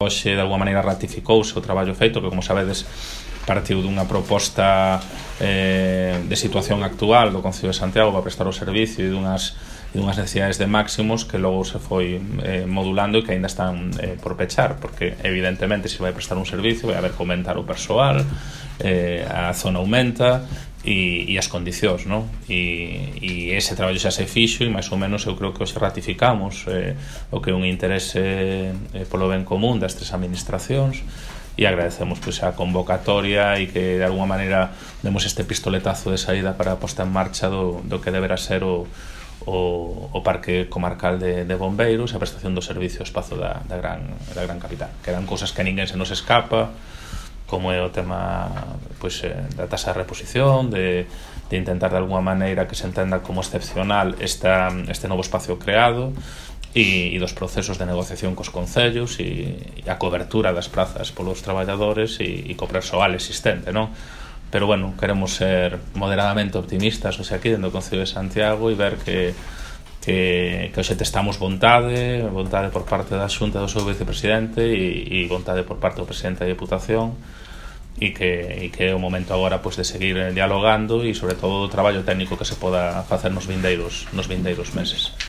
Hoxe, de alguma maneira, ratificouse o traballo feito, que, como sabedes, partiu dunha proposta de situación actual do Concello de Santiago para prestar o servicio e dunhas necesidades de máximos que logo se foi modulando e que aínda están por pechar, porque evidentemente se vai prestar un servicio vai haber que aumentar o persoal, a zona aumenta e as condicións, non? E ese traballo xa se fixo e máis ou menos eu creo que hoxe ratificamos o que é un interese polo ben común das tres administracións e agradecemos pois a convocatoria e que de alguma maneira demos este pistoletazo de saída para a posta en marcha do que deberá ser o Parque Comarcal de Bombeiros e a prestación do servicio ao espazo da gran capital, que eran cousas que a ninguén se nos escapa, como é o tema pois, da tasa de reposición, de intentar de alguma maneira que se entenda como excepcional este novo espacio creado e dos procesos de negociación cos concellos e a cobertura das prazas polos traballadores e co persoal existente, non? Pero, bueno, queremos ser moderadamente optimistas hoxe aquí dentro do Concello de Santiago e ver que hoxe testamos vontade por parte da Xunta do seu vicepresidente e vontade por parte do presidente da Deputación e que é o momento agora pois, de seguir dialogando e, sobre todo, o traballo técnico que se poda facer nos vindeiros meses.